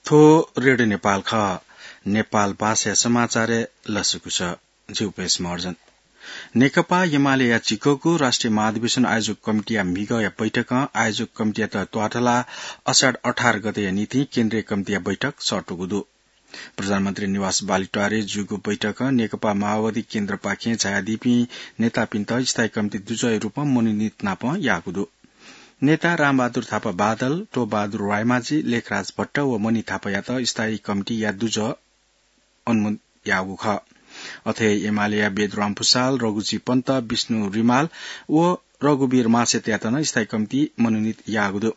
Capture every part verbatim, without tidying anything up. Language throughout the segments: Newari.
थ्व रेडियो नेपाल खः। नेपाल भाषाया समाचारय् लसकुस। जि उपेश महर्जन। नेकपा एमालेया झिंकःगु राष्ट्रिय महाधिवेशन आयोजक कमिटीया म्हिगःया बैठकं आयोजक कमिटीयात त्वाथलाः असार अठार गतेया निंतिं केन्द्रीय कमिटीया बैठक सःतूगु दु। प्रधानमन्त्री निवास बालुवाटारय् जूगु बैठकं नेकपा माओवादी केन्द्रपाखें झायादीपिं नेतापिन्त स्थायी कमिटी दुजःया रूपं मनोनीत नापं याःगु दु। नेता रामबहादुर थापा बादल, टोपबहादुर रायमाझी, लेखराज भट्ट व मणि थापायात स्थायी कमिटीया दुजः अनुमोदन याःगु खः। अथे एमालेया वेदराम भुसाल, रघुजी पन्त, विष्णु रिमाल व रघुवीर मासेतयात नं स्थायी कमिटी मनोनीत याःगु दु।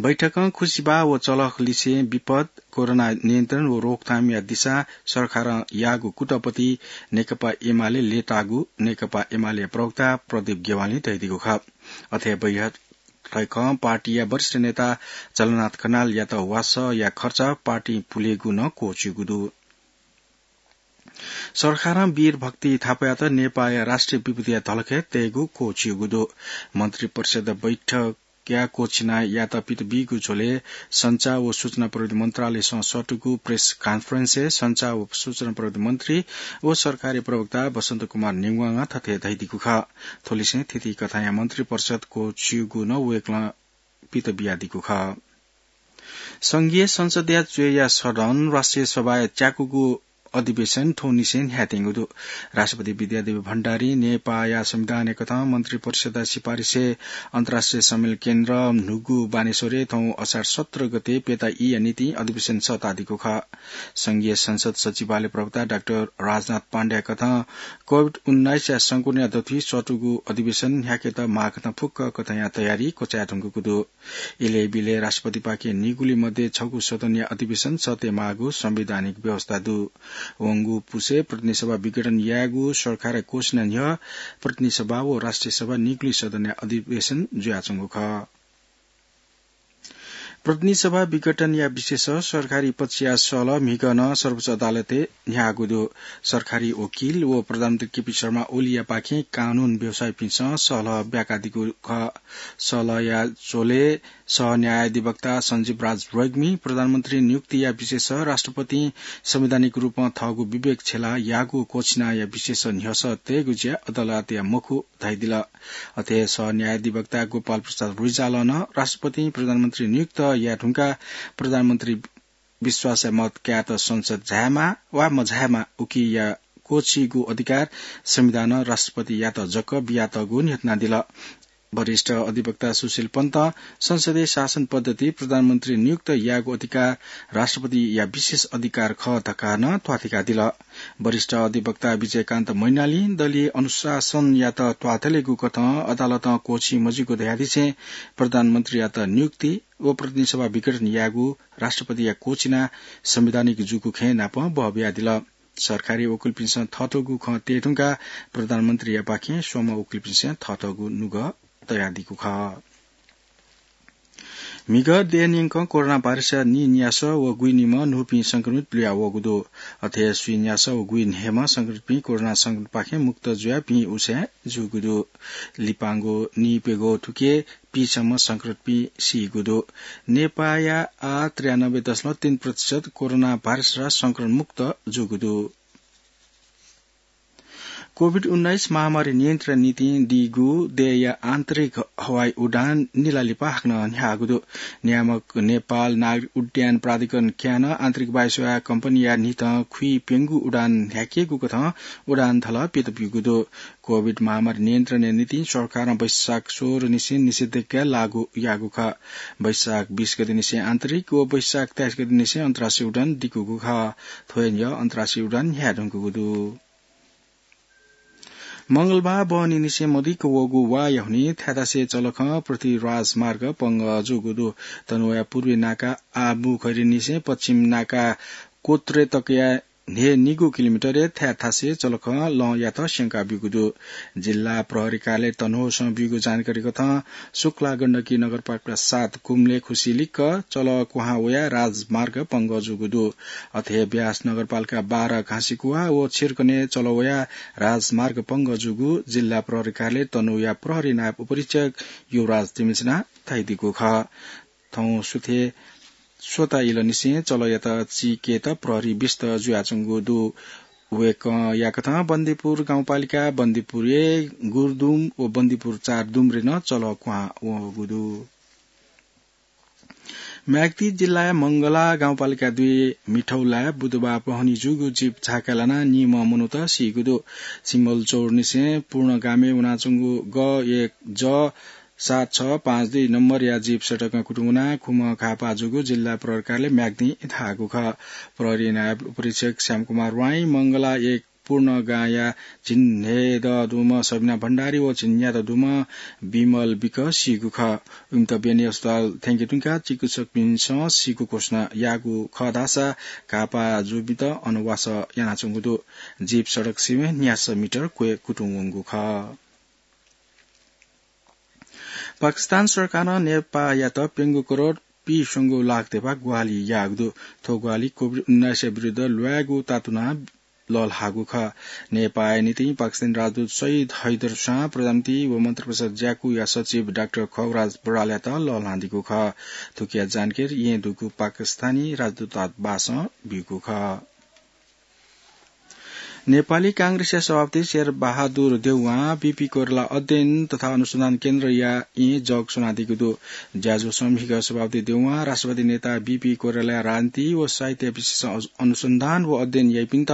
बैठकं खुसिबाः व चलख लिसें विपद, कोरोना नियन्त्रण व रोकथामया दिसां सरकारं याःगु कुतःपति नेकपा एमाले लय्ताःगु नेकपा एमाले प्रवक्ता प्रदीप गेवालीं धयादीगु खः। अथे बैठकं पार्टीया वरिष्ठ नेता झलनाथ खनालयात वासःया खर्च पार्टीं पुलेगु नं क्वःछिउगु दु। सरकारं वीर भक्ति थापायात नेपाःया राष्ट्रिय विभूतिया धलखय् तयेगु क्वःछिउगु दु। मन्त्री परिषद बैठकया क्वःछिनायात पित बीगु झ्वलय् सञ्चार व सूचना प्रविधि मन्त्रालयसं सःतूगु प्रेस कन्फरेन्सय् सञ्चार व सूचना प्रविधि मन्त्री व सरकारी प्रवक्ता वसन्त कुमार नेवाःं थथे धयादीगु खः। थ्व लिसें थीथी कथंया मन्त्री परिषद क्वःछिउगु नं वय्कलं पित बियादीगु खः। संघीय संसदया च्वय्या सदन राष्ट्रिय सभाया च्याकूगु अधिवेशन थौंनिसें न्ह्यायेत्यंगु दु। राष्ट्रपति विद्यादेवी भण्डारीं नेपाःया संविधानया कथं मन्त्री परिषदया सिफारिसय् अन्तर्राष्ट्रिय सम्मेलन केन्द्र न्हूगु बानेश्वरय् थौं असार सत्र गते प्यता ईया निंतिं अधिवेशन सःतादीगु खः। संघीय संसद सचिवालय प्रवक्ता डाक्टर राजनाथ पाण्डेया कथं कोभिड उन्नाइसया संक्रमणया दथुइ सःतूगु अधिवेशन न्ह्याकेत माःकथं फुक्क कथंया तयारी क्वचायेधुंकूगु दु। इलय् बिलय् राष्ट्रपतिपाखें निगुलिइ मध्ये छगू सदनया अधिवेशन सःतेमाःगु संवैधानिक व्यवस्था दु। वंगु पुसे प्रतिनिधि सभा विघटन यायेगु सरकारया घोषणा न्ह्यः प्रतिनिधि सभा व राष्ट्रिय सभा निगुलिइ सदनया अधिवेशन जुयाच्वंगु खः। प्रतिनिधि सभा विघटनया विषयस सरकारी पक्षया सहलह म्हिगः नं सर्वोच्च अदालतय् न्ह्याःगु दु। सरकारी वकिल व प्रधानमन्त्री केपी शर्मा ओलीयापाखें कानून व्यवसायीपिन्सं सहलह ब्याकादीगु खः। सहलहया झ्वलय् सह न्यायाधिवक्ता सञ्जीव राज रेग्मी प्रधानमन्त्री नियुक्तिया विषयस राष्ट्रपतिं संवैधानिक रूपं थःगु विवेक छ्यलाः याःगु क्वःछिनाया विषयस न्ह्यसः तयेगु ज्या अदालतया मखु धयादिल। अथे सह न्यायाधिवक्ता गोपाल प्रसाद रिजालं नं राष्ट्रपतिं प्रधानमन्त्री नियुक्त याये धुंकाः प्रधानमन्त्री विश्वासया मत कायेत संसद झायेमा वा मझायेमा उकिया क्वःछिइगु अधिकार संविधानं राष्ट्रपतियात जक बियातःगु न्ह्यथनादिल। वरिष्ठ अधिवक्ता सुशील पन्तं संसदीय शासन पद्धति प्रधानमन्त्री नियुक्त यायेगु अधिकार राष्ट्रपतिया विशेष अधिकार खः धकाः नं त्वाथय्कादिल। वरिष्ठ अधिवक्ता विजयकान्त मैनालीं दलीय अनुशासनयात त्वाथलेगु कथं अदालतं क्वःछिइ मजुइगु धयादिसें प्रधानमन्त्रीयात नियुक्ति व प्रतिनिधि सभा विघटन यायेगु राष्ट्रपतिया क्वःछिना संवैधानिक जूगु खँय् नापं बहबियादिल। सरकारी वकिलपिन्सं थःथःगु खँ तये धुंकाः प्रधानमन्त्रीयापाखें स्वम्ह वकिलपिन्सं थःथःगु नुगः तयादीगु खः। म्हिगः देय् न्यंकं कोरोना भाइरसया नीन्यासः व गुइनिम्ह न्हूपिं संक्रमित लुया वःगु दु। अथे स्वीन्यासः व गुइन्हय्म्ह संक्रमितपिं कोरोना संक्रमणपाखें मुक्त जुयाः भिं उसय् जूगु दु। लिपांगु नीप्यघौ थुके पीसम्म संक्रमितपिं सीगु दु। नेपाःया आः त्रियानब्बे दशमलव तीन प्रतिशत कोरोना भाइरसया संक्रमण मुक्त जूगु दु। कोभिड उन्नाइस महामारी नियन्त्रण निंतिं दीगु देय्‌या आन्तरिक हवाई उडान निला लिपा हाकनं न्ह्याःगु दु। नियामक नेपाल नागरिक उड्डयन प्राधिकरण क्यानं आन्तरिक वायुसेवा कम्पनीया न्हितं खुइप्यंगू उडान न्ह्याकेगु कथं उडान धलः पित ब्यूगु दु। कोभिड महामारी नियन्त्रणया निंतिं सरकारं वैशाख सोह्र निसें निषेधाज्ञा लागू याःगु खः। वैशाख बीस गते निसें आन्तरिक व वैशाख तेइस गते निसें अन्तर्राष्ट्रिय उडान दिकूगु खः। थ्व हे न्ह्यः अन्तर्राष्ट्रिय उडान न्ह्याये धुंकूगु दु। मंगलबार बहनी निसें मदिक्क वःगु वाया हुनिं थाय्‌थासय् चलखं पृथ्वी राजमार्ग पंगः जूगु दु। तनहुँया पूर्वी नाका आबुखैरी निसें पश्चिम नाका कोत्रे तकया न्हय्‌निगू किलोमिटरय् थाय्‌थासय् चलखं लँयात स्यंका ब्यूगु दु। जिल्ला प्रहरी कार्यालय तनहुँसं ब्यूगु जानकारी कथं शुक्ला गण्डकी नगरपालिका सात कुम्ले खुसिलिक्क चलः क्वहां वयाः राजमार्ग पंगः जूगु दु। अथे ब्यास नगरपालिका बाह्र घाँसीकुवा व छिर्कने चलः वयाः राजमार्ग पंगः जूगु जिल्ला प्रहरी कार्यालय तनहुँया प्रहरी नायब उपरीक्षक युवराज तिमिल्सिनां धयादीगु खः। थौं सुथय् स्वता इलंनिसें चलःयात चीकेत प्रहरी व्यस्त जुयाच्वंगु दु। वय्कःयाकथं बन्दीपुर गाउँपालिका बन्दीपुर एक, गुरदुम व बन्दीपुर चार दुम्रे नं चलः क्वहां वःगु दु। म्याग्दी जिल्लाया मंगला गाउँपालिका दुई मिठौलाय् बुधबार पहनी जूगु जीप झाका लानाः निम्ह मनूत सीगु दु। सिम्बलचौरनिसें पूर्णगामे वनाच्वंगु ग एक ज सात छ पाँच दुई नम्बरया जीप सडकं कुतुं वनाः खुम्ह घाःपाः जूगु जिल्ला प्रहरी कार्यालय म्याग्दीं धाःगु खः। प्रहरी नायब उपरीक्षक श्यामकुमार वाइं मंगला एक पूर्णगाँया झिंन्हय्दँ दुम्ह सबिना भण्डारी व झिंन्यात दुम्ह विमल विक सीगु खः। इमित बेनी अस्पताल थ्यंके धुंकाः चिकित्सकपिन्सं सीगु घोषणा याःगु खः धाःसा घाःपाः जूपिन्त अन वासः यानाच्वंगु दु। जीप सडक सिबें न्यासः मिटर क्वय् कुतुं वंगु खः। पाकिस्तान सरकारं नेपाःयात प्यंगू करोड पीस्वंगू लाख धेबा ग्वाहालि याःगु दु। थ्व ग्वाहालि कोभिड उन्नाइसया विरुद्ध ल्वायेगु तातुनाः लःल्हाःगु खः। नेपाःया निंतिं पाकिस्तानी राजदूत सैयद हैदर शाह, प्रधानमन्त्री व मन्त्रिपरिषद ज्याकूया सचिव डाक्टर खगराज बरालयात लःल्हानादीगु खः। थुकिया जानकारी येँ दुगु पाकिस्तानी राजदूतावासं ब्यूगु खः। नेपाली कांग्रेसया सभापति शेरबहादुर देउवां बीपी कोइराला अध्ययन तथा अनुसन्धान केन्द्रया येँ जग स्वनादीगु दु। ज्याझ्वलय् म्हिगः सभापति देउवां राष्ट्रवादी नेता बीपी कोइरालाया राजनीति व साहित्य विषयसं अज-, अनुसन्धान व अध्ययन याइपिन्त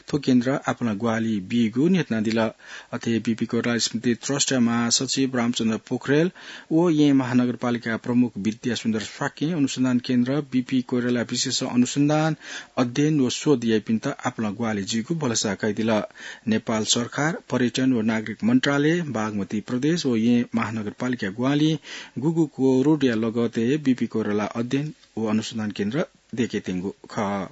थ्व केन्द्रं आपालं ग्वाहालि बीगु न्ह्यथनादिल। अथे बीपी कोइराला स्मृति ट्रस्टया महासचिव रामचन्द्र पोखरेल व येँ महानगरपालिका प्रमुख विद्यासुन्दर शाक्यं अनुसन्धान केन्द्रं बीपी कोइराला विषयसं अनुसन्धान, अध्ययन व शोध याइपिन्त आपालं ग्वाहालि जुइगु भलसा कयादिल। नेपाल सरकार, पर्यटन व नागरिक मन्त्रालय, बागमती प्रदेश व येँ महानगरपालिका ग्वाहालिं गुगु करोडया लगतय् बीपी कोइराला अध्ययन व अनुसन्धान केन्द्र दयेकेत्यंगु खः।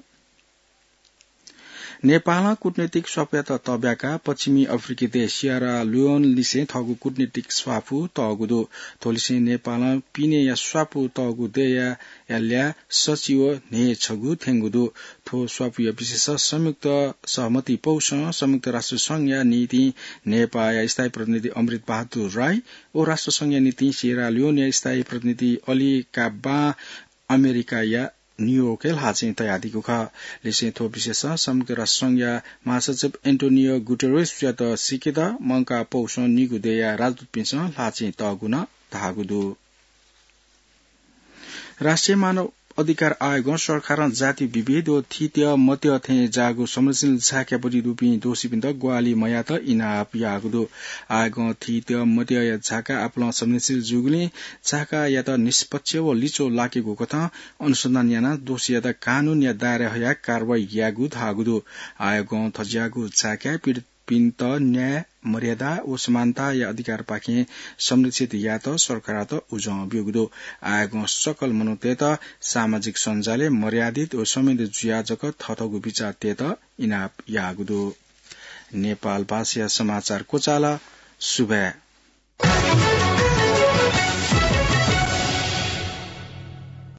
नेपालं कूटनैतिक स्वापूयात तःब्याकाः पश्चिमी अफ्रिकी देश सियरा लियोनलिसें थःगु कूटनैतिक स्वापू तःगु दु। थ्वलिसें नेपालं पिनेया स्वापू तःगु देय्‌या ल्याः सचिव न्हय्‌छगू थ्यंगु दु। थ्व स्वापूया विषयसं संयुक्त सहमति पौसं संयुक्त राष्ट्र संघया निंतिं नेपाःया स्थायी प्रतिनिधि अमृत बहादुर राई व राष्ट्र संघया निंतिं सियरा लियोनया स्थायी प्रतिनिधि अली काब्बां अमेरिकाया न्यूयोर्कय् ल्हाःचिं तयादीगु खः। लिसें थ्व विषयसं संयुक्त राष्ट्र संघया महासचिव एन्टोनियो गुटेरेसयात सीकेत मंकाः पौसं निगू देय्‌या राजदूतपिन्सं ल्हाःचिं तःगु नं धाःगु दु। राष्ट्रिय मानव अधिकार आयोगं सरकारं जाति विभेद व थीत्यः मत्यः थें जाःगु संवेदनशील झाकापट्टि दुपिं दोषीपिन्त ग्वाहालि मयायेत इनाप याःगु दु। आयोगं थीत्यः मत्यःया झाका आपालं संवेदनशील जूगुलिं झाकायात निष्पक्ष व लिच्वः लाकेगु कथं अनुसन्धान यानाः दोषीयात कानूनया दायराय् हयाः कारवाही यायेगु धाःगु दु। आयोगं थज्याःगु झाकाय् पीडितपिन्त न्याय, मर्यादा व समानताया अधिकारपाखें संरक्षित यायेत सरकारयात उजं ब्यूगु दु। आयोगं सकल मनूतय्‌त सामाजिक सञ्जालय् मर्यादित व संवेदी जुयाः जक थःथःगु बिचाः तयेत इनाप याःगु दु। नेपाल भाषाया समाचार क्वचाल। सुभाय्।